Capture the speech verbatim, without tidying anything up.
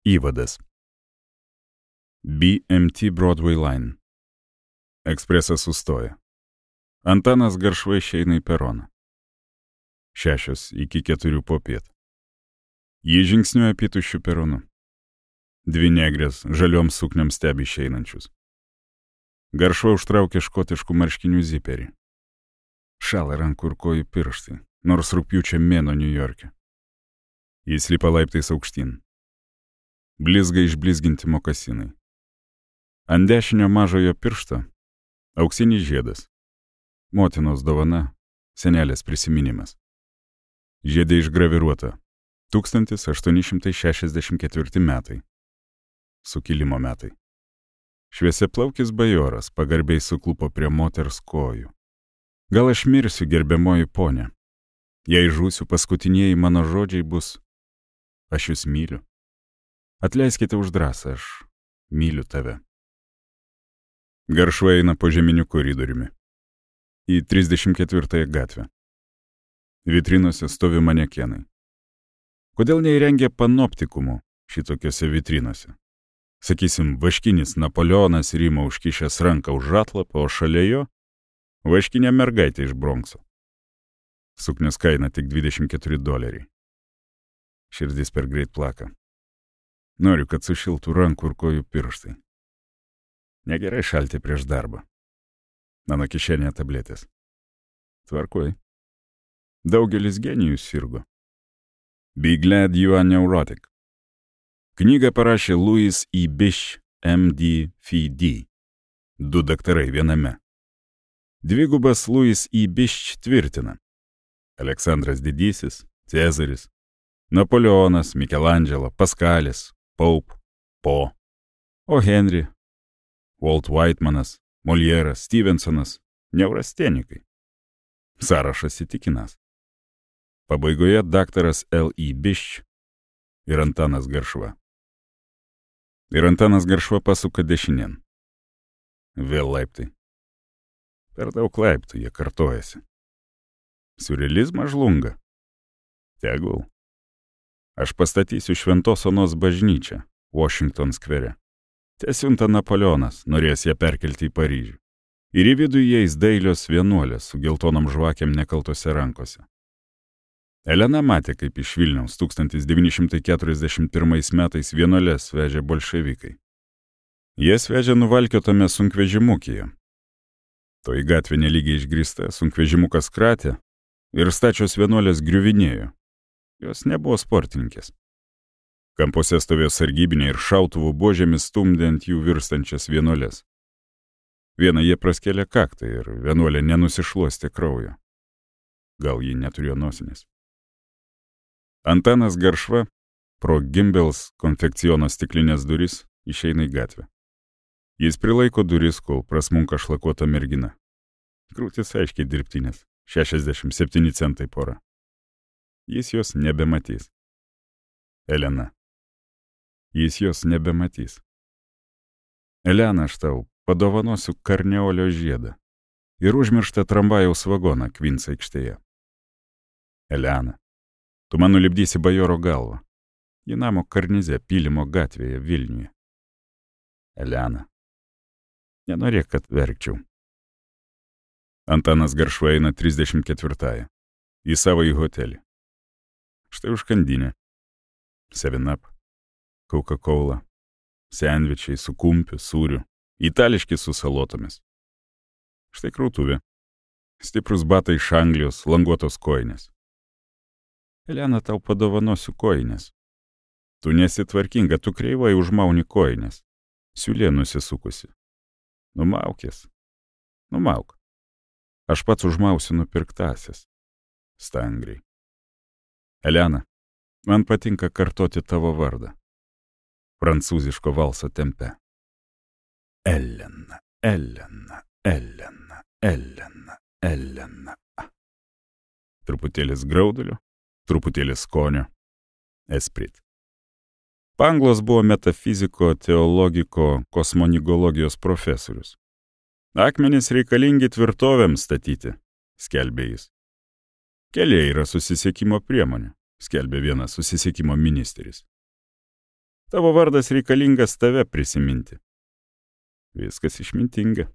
Įvadas. B M T Broadway Line. Ekspresas sustoja. Antanas Garšva išeina į peroną. Šešios iki keturių popiet. Jį žingsniuoja pietušių peronu. Dvi negrės žaliom sukniam stebi išeinančius. Garšva užtraukia škotiškų marškinių ziperį. Šala rankų ir kojų pirštai, nors rugpjūčio mėnuo Niujorke. Jis lipa laiptais aukštyn. Blizga išblizginti mokasinai. Ant dešinio mažojo piršto auksinis žiedas. Motinos dovana, senelės prisiminimas. Žiedė išgraviruota. tūkstantis aštuoni šimtai šešiasdešimt ketvirti metai. Sukilimo metai. Šviesiaplaukis bajoras pagarbiai suklupo prie moters kojų. Gal aš mirsiu, gerbiamoji ponė. Jei žūsiu, paskutinieji mano žodžiai bus: aš jūs myliu. Atleiskite už drąsą, aš myliu tave. Garšva eina po žeminiu koridoriumi. Į trisdešimt ketvirtąją gatvę. Vitrinose stovi manekenai. Kodėl neįrengia panoptikumų šitokiose vitrinose? Sakysim, vaškinis Napoleonas Rimo užkišęs ranką už atlapą, o šalia jo vaškinė mergaitė iš Bronkso. Suknios kaina tik dvidešimt keturi doleriai. Širdis per greit plaka. Noriu, kad sušiltų rankų ir kojų pirštai. Negerai šalti prieš darbą. Mano kišenėje tabletės. Tvarkoj. Daugelis genijų sirgo. Be glad you are neurotic. Knygą parašė Louis E. Bish, M D F D. Du daktarai viename. Dvigubas Louis E. Bish tvirtina: Aleksandras Didysis, Cezaris, Napoleonas, Mikelandželo, Paskalis, Pope, Po, o Henry, Walt Whitemanas, Molieras, Stevensonas — neurastenikai. Sąrašas įtikinas. Pabaigoje daktaras L. E. Bish ir Antanas Garšva. Ir Antanas Garšva pasuka dešinėn. Vėl laiptai. Per daug laiptų jie kartojasi. Siurrealizmas žlunga. Tegul. Aš pastatysiu Šventos Onos bažnyčią Washington skvere. Tesiunta Napoleonas, norės ją perkelti į Paryžių. Ir į vidų įeis dailios vienuolės su geltonom žvakėm nekaltose rankose. Elena matė, kaip iš Vilniaus tūkstantis devyni šimtai keturiasdešimt pirmais metais vienuolės vežė bolševikai. Jas vežė nuvalkiotame sunkvežimukyje. Toji gatvė nelygiai išgrįsta, sunkvežimukas kratė ir stačios vienuolės griuvinėjo. Jos nebuvo sportininkės. Kampuose stovėjo sargybiniai ir šautuvų buožėmis stumdė ant jų virstančias vienuolės. Vieną jie praskėlė kaktą ir vienuolė nenusišluostė kraujo. Gal ji neturėjo nosinės. Antanas Garšva pro Gimbels konfekciono stiklinės duris išeina į gatvę. Jis prilaiko duris, kol prasmunka šlakuota mergina. Krūtis aiškiai dirbtinės, šešiasdešimt septyni centai pora. Jis jos nebematys. Elena. Jis jos nebematys. Elena, aš tau padovanosiu karneolio žiedą ir užmirštą tramvajaus vagoną Kvins aikštėje. Elena. Tu man nulipdysi bajoro galvą. Į namo karnize Pylimo gatvėje Vilniuje. Elena. Nenorėk, kad verkčiau. Antanas Garšva eina trisdešimt ketvirtąją. Į savąjį hotelį. Štai užkandinė. seven up, Coca-Cola, sendvičiai su kumpiu, sūriu, itališki su salotomis. Štai krautuvė. Stiprus batai iš Anglijos, languotos kojinės. Elena, tau padovanosiu kojinės. Tu nesi tvarkinga, tu kreivai užmauni kojinės. Siūlė nusisukusi. Numaukės. Numauk. Aš pats užmausiu nupirktasias. Stangriai. Elena, man patinka kartoti tavo vardą. Prancūziško valso tempe. Elena, Elena, Elena, Elena, Elena. Truputėlis graudulio, truputėlis skonio. Esprit. Panglos buvo metafiziko, teologiko, kosmonigologijos profesorius. Akmenys reikalingi tvirtovėms statyti, skelbė jis. Keliai yra susisiekimo priemonė, skelbė vienas susisiekimo ministeris. Tavo vardas reikalingas tave prisiminti. Viskas išmintinga.